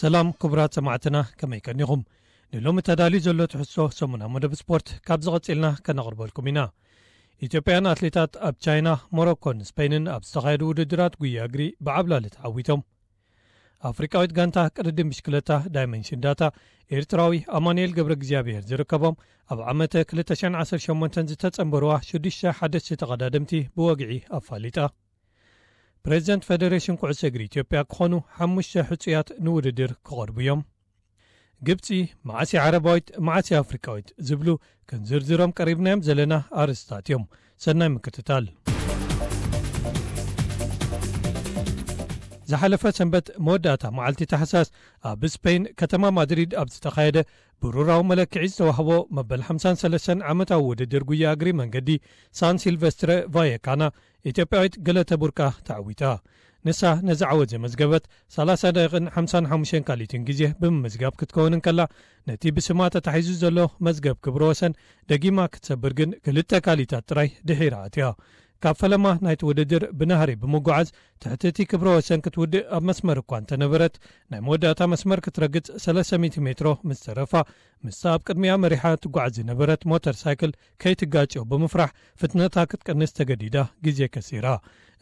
ሰላም ክቡራት ሰማዕትና፣ ከመይ ቀኒኹም? ንሎሚ ተዳልዩ ዘሎ ትሕዝቶ ሰሙናዊ መደብ ስፖርት ካብ ዝቐጽልና ከነቕርበልኩም ኢና። ኢትዮጵያን ኣትሌታት ኣብ ቻይና፣ ሞሮኮን ስፔንን ኣብ ዝተኻየዱ ውድድራት ጉያ እግሪ ብዓብላሊ ተዓዊቶም። ኣፍሪቃዊት ጋንታ ቅድድም ብሽክለታ ዳይመንሽን ዳታ፣ ኤርትራዊ ኣማኑኤል ገብረ እግዚኣብሔር ዝርከቦም፣ ኣብ ዓመተ ክልተ ሽሕን ዓሰርተ ሸሞንተን ዝተጸንበርዋ ሽዱሽተ ሓደሽቲ ተቐዳደምቲ ብወግዒ ኣፋሊጣ። ፕሬዚደንት ፌደሬሽን ኩዕሶ እግሪ ኢትዮጵያ ክኾኑ ሓሙሽተ ሕጹያት ንውድድር ክቐርቡ እዮም። ግብጺ፣ መዓስ እያ ዓረባዊት፣ መዓስ እያ ኣፍሪቃዊት ዝብሉ ክንዝርዝሮም ቀሪብናዮም ዘለና ኣርእስታት እዮም። ሰናይ ምክትታል። ዝሓለፈ ሰንበት መወዳእታ መዓልቲ ታሕሳስ ኣብ ስፔን ከተማ ማድሪድ ኣብ ዝተኻየደ ብሩራዊ መለክዒ ዝተዋህቦ መበል ሓምሳን ሰለስተን ዓመታዊ ውድድር ጉያ እግሪ መንገዲ ሳን ሲልቨስትረ ቫየካና ኢትዮጵያዊት ገለተ ቡርቃ ተዓዊታ። ንሳ ነዚ ዓወት ዘመዝገበት ሰላሳ ደቂቕን ሓምሳን ሓሙሽተን ካልኢትን ግዜ ብምምዝጋብ ክትከውን እንከላ፣ ነቲ ብስማ ተታሒዙ ዘሎ መዝገብ ክብረ ወሰን ደጊማ ክትሰብር ግን ክልተ ካልኢታት ጥራይ ድሒራ ኣትያ። ካብ ፈለማ ናይቲ ውድድር ብናህሪ ብምጉዓዝ ትሕቲ እቲ ክብረ ወሰን ክትውድእ ኣብ መስመር እኳ እንተነበረት፣ ናይ መወዳእታ መስመር ክትረግጽ ሰለስተ ሚእቲ ሜትሮ ምስ ተረፋ፣ ምስታ ኣብ ቅድሚኣ መሪሓ ትጓዓዝ ዝነበረት ሞተር ሳይክል ከይትጋጨው ብምፍራሕ ፍጥነታ ክትቀንስ ተገዲዳ ግዜ ከሲራ።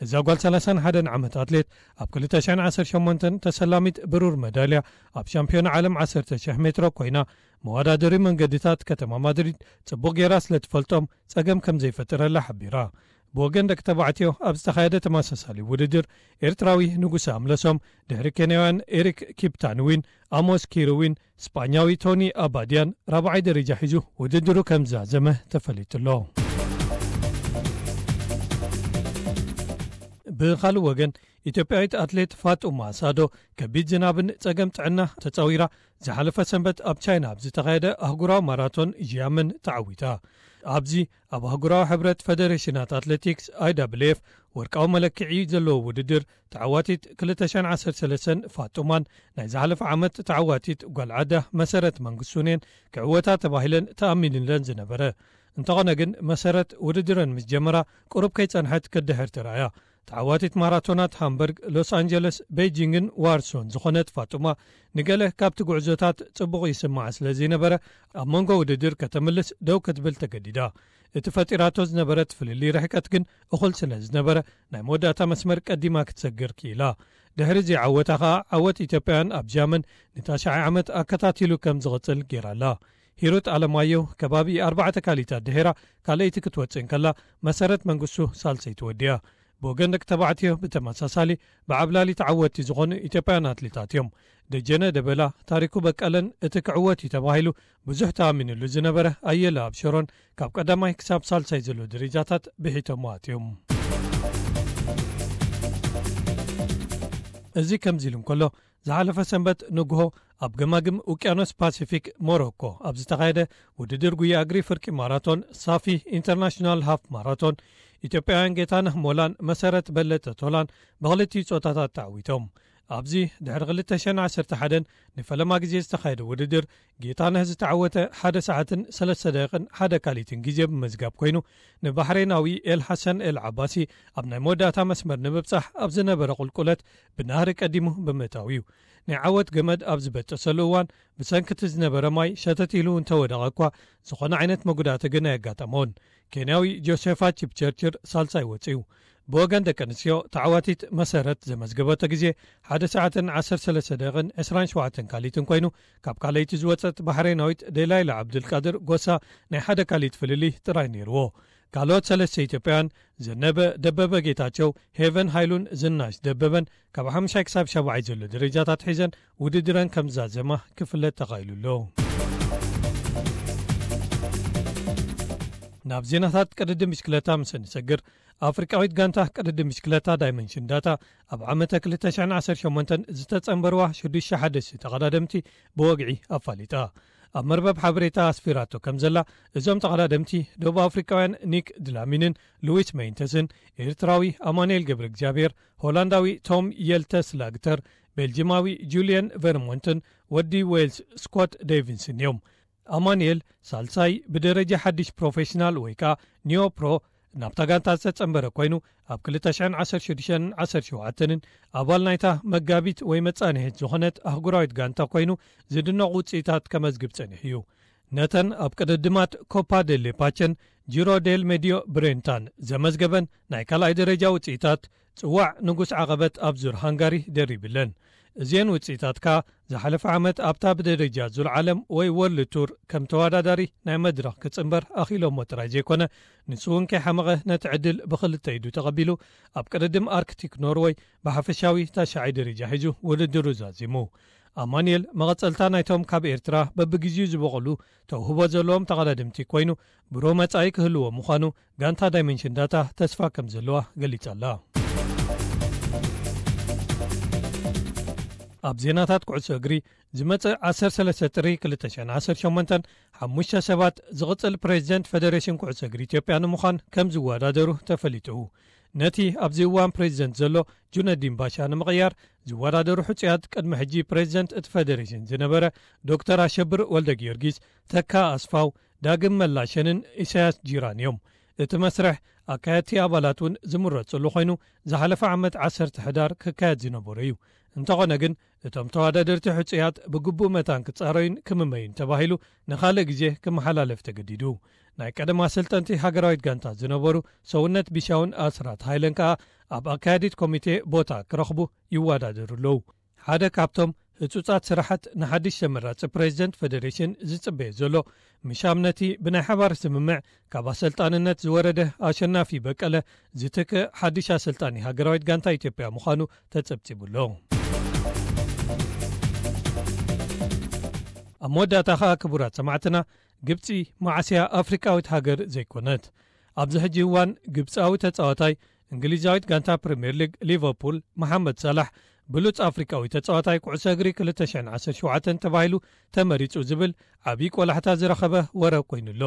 እዛ ጓል ሰላሳን ሓደን ዓመት ኣትሌት ኣብ ክልተ ሽሕን ዓሰርተ ሸሞንተን ተሰላሚት ብሩር መዳልያ ኣብ ሻምፒዮና ዓለም ዓሰርተ ሽሕ ሜትሮ ኮይና፣ መወዳደሪ መንገድታት ከተማ ማድሪድ ጽቡቕ ጌራ ስለ ትፈልጦም ጸገም ከም ዘይፈጠረላ ሓቢራ። ብወገን ደቂ ተባዕትዮ ኣብ ዝተኻየደ ተመሳሳሊ ውድድር፣ ኤርትራዊ ንጉሰ ኣምለሶም ድሕሪ ኬንያውያን ኤሪክ ኪፕታንዊን፣ ኣሞስ ኪርዊን፣ ስጳኛዊ ቶኒ ኣባድያን ራብዓይ ደረጃ ሒዙ ውድድሩ ከም ዝዛዘመ ተፈሊጡ ኣሎ። ብኻልእ ወገን፣ ኢትዮጵያዊት ኣትሌት ፋጡማ ሳዶ ከቢድ ዝናብን ጸገም ጥዕና ተጻዊራ ዝሓለፈ ሰንበት ኣብ ቻይና ኣብ ዝተኻየደ ኣህጉራዊ ማራቶን ዢያመን ተዓዊታ። ኣብዚ ኣብ ኣህጉራዊ ሕብረት ፌደሬሽናት ኣትሌቲክስ፣ ኣይ ደብሊው ኤፍ፣ ወርቃዊ መለክዒ ዘለዎ ውድድር፣ ተዓዋቲት ክልተ ሽሕን ዓሰርተ ሰለስተን ፋጡማን ናይ ዝሓለፈ ዓመት ተዓዋቲት ጓል ዓዳ መሰረት መንግስቱን እየን ክዕወታ ተባሂለን ተኣሚንለን ዝነበረ። እንተኾነ ግን፣ መሰረት ውድድረን ምስ ጀመራ ቁሩብ ከይጸንሐት ክትድሕር ተራእያ። ተዓዋቲት ማራቶናት ሃምበርግ፣ ሎስ ኣንጀለስ፣ ቤይጂንግን ዋርሶን ዝኾነት ፋጡማ፣ ንገለ ካብቲ ጉዕዞታት ጽቡቕ ይስምዓ ስለ ዘይነበረ፣ ኣብ መንጎ ውድድር ከተምልስ ደው ክትብል ተገዲዳ። እቲ ፈጢራቶ ዝነበረት ፍልልይ ርሕቀት ግን እኹል ስለ ዝነበረ፣ ናይ መወዳእታ መስመር ቀዲማ ክትሰግር ክኢላ። ድሕሪ እዚ ዓወታ ኸኣ፣ ዓወት ኢትዮጵያውያን ኣብ ጃመን ንታሽዓይ ዓመት ኣከታቲሉ ከም ዝቕጽል ገይራላ። ሂሩት ኣለማየሁ ከባቢ ኣርባዕተ ካልኢታት ድሒራ ካልኣይቲ ክትወጽእ እንከላ፣ መሰረት መንግስቱ ሳልሰይቲ ወዲያ። ብወገን ደቂ ተባዕትዮ ብተመሳሳሊ ብዓብላሊ ተዓወትቲ ዝኾኑ ኢትዮጵያውያን ኣትሌታት እዮም። ደጀነ ደበላ፣ ታሪኩ በቀለን እቲ ክዕወት እዩ ተባሂሉ ብዙሕ ተኣሚንሉ ዝነበረ ኣየለ ኣብሸሮን ካብ ቀዳማይ ክሳብ ሳልሳይ ዘሎ ደረጃታት ብሒቶሞ ኣትዮም። እዚ ከምዚ ኢሉ እንከሎ፣ ዝሓለፈ ሰንበት ንግሆ ኣብ ገማግም ውቅያኖስ ፓሲፊክ ሞሮኮ ኣብ ዝተኻየደ ውድድር ጉያ እግሪ ፍርቂ ማራቶን ሳፊ ኢንተርናሽናል ሃፍ ማራቶን፣ ኢትዮጵያውያን ጌታነህ ሞላን መሰረት በለጠ ቶላን ብኽልቲኡ ጾታታት ተዓዊቶም። ኣብዚ ድሕሪ ክልተ ሽሕን ዓሰርተ ሓደን ንፈለማ ግዜ ዝተኻየደ ውድድር፣ ጌታነህ ዝተዓወተ ሓደ ሰዓትን ሰለስተ ደቂቕን ሓደ ካልኢትን ግዜ ብምምዝጋብ ኮይኑ፣ ንባሕሬናዊ ኤል ሓሰን ኤል ዓባሲ ኣብ ናይ መወዳእታ መስመር ንምብጻሕ ኣብ ዝነበረ ቁልቁለት ብናህሪ ቀዲሙ ብምእታው እዩ። ናይ ዓወት ገመድ ኣብ ዝበጠሰሉ እዋን፣ ብሰንኪ እቲ ዝነበረ ማይ ሸተት ኢሉ እንተወደቐ እኳ፣ ዝኾነ ዓይነት መጉዳእቲ ግን ኣየጋጠሞን። ኬንያዊ ጆሴፋ ቺፕቸርችር ሳልሳይ ወጺኡ። ብወገን ደቂ ኣንስትዮ፣ ተዓዋቲት መሰረት ዘመዝገበቶ ግዜ ሓደ ሰዓትን ዓሰርተ ሰለስተ ደቂቕን ዕስራን ሸውዓተን ካልኢትን ኮይኑ፣ ካብ ካልኣይቲ ዝወጸት ባሕሬናዊት ዴላይላ ዓብዱልቃድር ጎሳ ናይ ሓደ ካልኢት ፍልልይ ጥራይ ነይርዎ። ካልኦት ሰለስተ ኢትዮጵያውያን፣ ዘነበ ደበበ ጌታቸው፣ ሄቨን ሃይሉን ዝናሽ ደበበን፣ ካብ ሓምሻይ ክሳብ ሻብዓይ ዘሎ ደረጃታት ሒዘን ውድድረን ከም ዝዛዘማ ክፍለጥ ተኻኢሉ ኣሎ። ናብ ዜናታት ቅድድም ብሽክለታ ምስ እንሰግር፣ ኣፍሪቃዊት ጋንታ ቅድድም ብሽክለታ ዳይመንሽን ዳታ ኣብ ዓመተ ክልተ ሽሕን ዓሰርተ ሸሞንተን ዝተጸንበርዋ ሽዱሽተ ሓደሽቲ ተቐዳደምቲ ብወግዒ ኣፋሊጣ። ኣብ መርበብ ሓበሬታ ኣስፊራቶ ከም ዘላ፣ እዞም ተቐዳደምቲ ደቡብ ኣፍሪቃውያን ኒክ ድላሚንን ሉዊስ ሜይንተስን፣ ኤርትራዊ ኣማኑኤል ገብረ እግዚኣብሔር፣ ሆላንዳዊ ቶም የልተስ ላግተር፣ ቤልጂማዊ ጁልየን ቨርሞንትን ወዲ ዌልስ ስኮት ዴቪንስን እዮም። ኣማኑኤል ሳልሳይ ብደረጃ ሓድሽ ፕሮፌሽናል ወይ ከኣ ኒዮ ፕሮ ናብታ ጋንታ ዝተጸንበረ ኮይኑ፣ ኣብ ክልተ ሽሕን ዓሰርተ ሽዱሽተን ዓሰርተ ሸውዓተን ኣባል ናይታ መጋቢት ወይ መጻንሒት ዝኾነት ኣህጉራዊት ጋንታ ኮይኑ፣ ዝድነቕ ውጽኢታት ከመዝግብ ጸኒሑ እዩ። ነተን ኣብ ቅድድማት ኮፓ ዴሌ ፓቸን ጂሮ ዴል ሜዲዮ ብሬንታን ዘመዝገበን ናይ ካልኣይ ደረጃ ውጽኢታት፣ ጽዋዕ ንጉስ ዓቐበት ኣብ ዙር ሃንጋሪ ደሪብለን። እዚአን ውጽኢታት ከኣ ዝሓለፈ ዓመት ኣብታ ብደረጃ ዙር ዓለም ወይ ወርልድ ቱር ከም ተወዳዳሪ ናይ መድረኽ ክጽንበር ኣኽኢሎሞ ጥራይ ዘይኮነ፣ ንሱ እውን ከይሓመቐ ነቲ ዕድል ብኽልተ ኢዱ ተቐቢሉ፣ ኣብ ቅድድም ኣርክቲክ ኖርወይ ብሓፈሻዊ ታሽዓይ ደረጃ ሒዙ ውድድሩ ዛዚሙ። ኣማኑኤል መቐጸልታ ናይቶም ካብ ኤርትራ በብግዜኡ ዝበቐሉ ተውህቦ ዘለዎም ተቐዳድምቲ ኮይኑ፣ ብሩህ መጻኢ ክህልዎ ምዃኑ ጋንታ ዳይመንሽን ዳታ ተስፋ ከም ዘለዋ ገሊጻ ኣላ። ኣብ ዜናታት ኩዕሶ እግሪ፣ ዝመጽእ ዓሰርተ ሰለስተ ጥሪ ክልተ ሽሕን ዓሰርተ ሸሞንተን ሓሙሽተ ሰባት ዝቕጽል ፕሬዚደንት ፈደሬሽን ኩዕሶ እግሪ ኢትዮጵያ ንምዃን ከም ዝወዳደሩ ተፈሊጡ። ነቲ ኣብዚ እዋን ፕሬዚደንት ዘሎ ጁነዲን ባሻ ንምቕያር ዝወዳደሩ ሕጹያት፣ ቅድሚ ሕጂ ፕሬዚደንት እቲ ፈደሬሽን ዝነበረ ዶክተር ኣሸብር ወልደ ጊዮርጊስ፣ ተካ ኣስፋው፣ ዳግም መላሸንን ኢሳያስ ጂራን እዮም። እቲ መስርሕ ኣካየድቲ ኣባላት እውን ዝምረጽሉ ኮይኑ፣ ዝሓለፈ ዓመት ዓሰርተ ሕዳር ክካየድ ዝነበሮ እዩ። እንተኾነ ግን፣ እቶም ተወዳደርቲ ሕጹያት ብግቡእ መታን ክጻረዩን ክምመዩን ተባሂሉ ንኻልእ ግዜ ክመሓላለፍ ተገዲዱ። ናይ ቀደም ኣሰልጠንቲ ሃገራዊት ጋንታ ዝነበሩ ሰውነት ቢሻውን ኣስራት ሃይለን ከኣ ኣብ ኣካያዲት ኮሚቴ ቦታ ክረኽቡ ይወዳደሩ ኣለዉ። ሓደ ካብቶም ህጹጻት ስራሓት ንሓድሽ ተመራጺ ፕሬዚደንት ፈደሬሽን ዝጽበዮ ዘሎ፣ ምሻም ነቲ ብናይ ሓባር ስምምዕ ካብ ኣሰልጣንነት ዝወረደ ኣሸናፊ በቀለ ዝትክእ ሓድሽ ኣሰልጣኒ ሃገራዊት ጋንታ ኢትዮጵያ ምዃኑ ተጸብጺቡ ኣሎ። ኣብ መወዳእታ ኸኣ፣ ክቡራት ሰማዕትና፣ ግብጺ መዓስያ ኣፍሪቃዊት ሃገር ዘይኮነት። ኣብዚ ሕጂ እዋን ግብጻዊ ተጻዋታይ እንግሊዛዊት ጋንታ ፕሪምየር ሊግ ሊቨርፑል፣ መሓመድ ሳላሕ፣ ብሉጽ ኣፍሪቃዊ ተጻዋታይ ኩዕሶ እግሪ ክልተ ሽሕን ዓሰርተ ሸውዓተን ተባሂሉ ተመሪጹ ዝብል ዓብዪ ቆላሕታ ዝረኸበ ወረ ኮይኑ ኣሎ።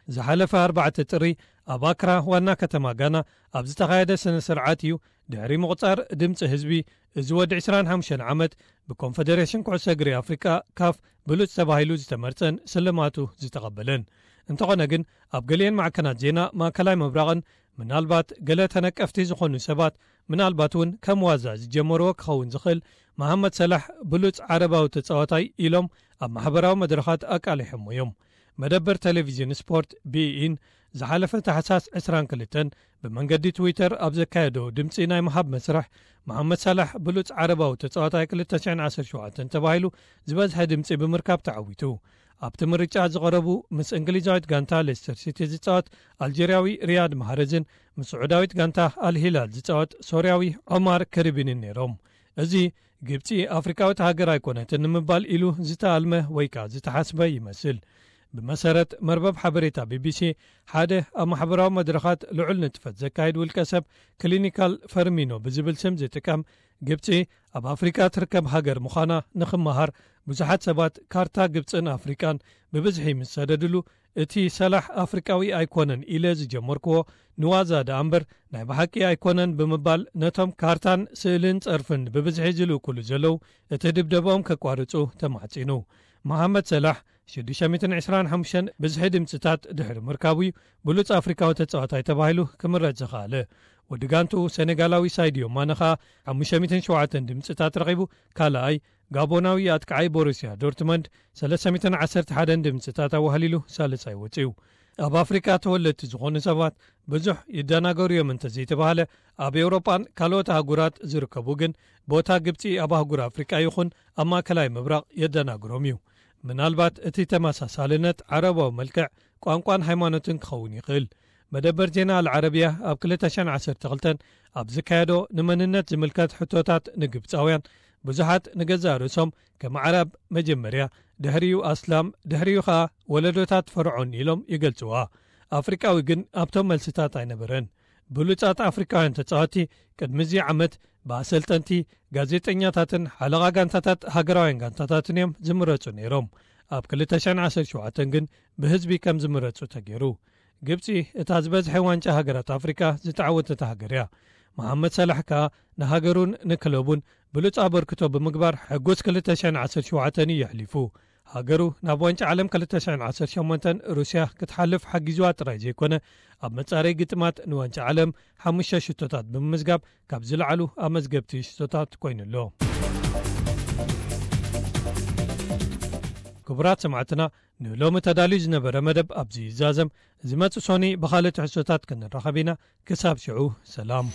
ዝሓለፈ ኣርባዕተ ጥሪ ኣብ ኣክራ ዋና ከተማ ጋና ኣብ ዝተኻየደ ስነ ስርዓት እዩ ድሕሪ ምቑጻር ድምጺ ህዝቢ፣ እዚ ወዲ ዕስራን ሓሙሽተን ዓመት ብኮንፈደሬሽን ኩዕሶ እግሪ ኣፍሪቃ፣ ካፍ፣ ብሉጽ ተባሂሉ ዝተመርጸን ስልማቱ ዝተቐበለን። እንተኾነ ግን፣ ኣብ ገሊአን ማዕከናት ዜና ማእከላይ ምብራቕን፣ ምናልባት ገለ ተነቀፍቲ ዝኾኑ ሰባት፣ ምናልባት እውን ከም ዋዛ ዝጀመርዎ ክኸውን ዝኽእል፣ መሃመድ ሰላሕ ብሉጽ ዓረባዊ ተጻዋታይ ኢሎም ኣብ ማሕበራዊ መድረኻት ኣቃሊሖሞ እዮም። መደበር ቴሌቪዥን ስፖርት ቢኢን ዝሓለፈ ታሕሳስ ዕስራን ክልተን ብመንገዲ ትዊተር ኣብ ዘካየዶ ድምጺ ናይ ምሃብ መስርሕ፣ መሓመድ ሳላሕ ብሉጽ ዓረባዊ ተጻዋታይ ክልተ ሽሕን ዓሰርተ ሸውዓተን ተባሂሉ ዝበዝሐ ድምጺ ብምርካብ ተዓዊቱ። ኣብቲ ምርጫ ዝቐረቡ፣ ምስ እንግሊዛዊት ጋንታ ሌስተር ሲቲ ዝጻወት ኣልጀርያዊ ሪያድ ማህረዝን ምስ ስዑዳዊት ጋንታ ኣልሂላል ዝጻወት ሶርያዊ ዖማር ከሪቢንን ነይሮም። እዚ፣ ግብጺ ኣፍሪቃዊት ሃገር ኣይኮነትን ንምባል ኢሉ ዝተኣልመ ወይ ከኣ ዝተሓስበ ይመስል። ብመሰረት መርበብ ሓበሬታ ቢቢሲ፣ ሓደ ኣብ ማሕበራዊ መድረኻት ልዑል ንጥፈት ዘካይድ ውልቀ ሰብ፣ ክሊኒካል ፈርሚኖ ብዝብል ስም ዝጥቀም፣ ግብጺ ኣብ ኣፍሪቃ ትርከብ ሃገር ምዃና ንኽመሃር ብዙሓት ሰባት ካርታ ግብጽን ኣፍሪቃን ብብዝሒ ምስ ሰደድሉ፣ እቲ ሰላሕ ኣፍሪቃዊ ኣይኮነን ኢለ ዝጀመርክዎ ንዋዛ ደኣ እምበር ናይ ብሓቂ ኣይኮነን ብምባል፣ ነቶም ካርታን ስእልን ጸርፍን ብብዝሒ ዝልእኩሉ ዘለዉ እቲ ድብደባኦም ከቋርጹ ተማሕጺኑ። መሓመድ ሰላሕ ሽዱሽተ ሚእትን ዕስራን ሓሙሽተን ብዝሒ ድምጽታት ድሕሪ ምርካቡ እዩ ብሉጽ ኣፍሪቃዊ ተጻዋታይ ተባሂሉ ክምረጽ ዝኸኣለ። ወዲ ጋንትኡ ሰኔጋላዊ ሳይድዮ ማነ ኸኣ ሓሙሽተ ሚእትን ሸውዓተን ድምጽታት ረኺቡ ካልኣይ፣ ጋቦናዊ ኣጥቃዓይ ቦሩስያ ዶርትመንድ ሰለስተ ሚእትን ዓሰርተ ሓደን ድምጽታት ኣዋህሊሉ ሳልሳይ ወጺኡ። ኣብ ኣፍሪቃ ተወለድቲ ዝኾኑ ሰባት ብዙሕ ይደናገሩ እዮም እንተዘይተባህለ፣ ኣብ ኤውሮጳን ካልኦት ኣህጉራት ዝርከቡ ግን፣ ቦታ ግብጺ ኣብ ኣህጉር ኣፍሪቃ ይኹን ኣብ ማእከላይ ምብራቕ የደናግሮም እዩ። ምናልባት እቲ ተመሳሳልነት ዓረባዊ መልክዕ፣ ቋንቋን ሃይማኖትን ክኸውን ይኽእል። መደበር ዜና ኣልዓረብያ ኣብ ክልተ ሽሕን ዓሰርተ ክልተን ኣብ ዝካየዶ ንመንነት ዝምልከት ሕቶታት ንግብጻውያን፣ ብዙሓት ንገዛእ ርእሶም ከም ዓረብ መጀመርያ፣ ድሕሪኡ ኣስላም፣ ድሕሪኡ ኸኣ ወለዶታት ፈርዖን ኢሎም ይገልጽዋ። ኣፍሪቃዊ ግን ኣብቶም መልስታት ኣይነበረን። ብሉጻት ኣፍሪቃውያን ተጻወትቲ ቅድሚ እዚ ዓመት ብኣሰልጠንቲ፣ ጋዜጠኛታትን ሓለቓ ጋንታታት ሃገራውያን ጋንታታትን እዮም ዝምረጹ ነይሮም። ኣብ ክልተ ሽሕን ዓሰርተ ሸውዓተን ግን ብህዝቢ ከም ዝምረጹ ተገይሩ። ግብጺ እታ ዝበዝሐ ዋንጫ ሃገራት ኣፍሪቃ ዝተዓወተት ሃገር እያ። መሓመድ ሰላሕ ከኣ ንሃገሩን ንክለቡን ብሉጽ ኣበርክቶ ብምግባር ሕጉስ ክልተ ሽሕን ዓሰርተ ሸውዓተን እዩ የሕሊፉ። ሃገሩ ናብ ዋንጫ ዓለም ክልተ ሽሕን ዓሰርተ ሸሞንተን ሩስያ ክትሓልፍ ሓጊዝዋ ጥራይ ዘይኮነ፣ ኣብ መጻረይ ግጥማት ንዋንጫ ዓለም ሓሙሽተ ሽቶታት ብምምዝጋብ ካብ ዝለዓሉ ኣመዝገብቲ ሽቶታት ኮይኑ ኣሎ። ክቡራት ሰማዕትና፣ ንሎሚ ተዳልዩ ዝነበረ መደብ ኣብዚ ይዛዘም። ዝመጽእ ሶኒ ብኻልእ ትሕዝቶታት ክንራኸብ ኢና። ክሳብ ሽዑ ሰላም።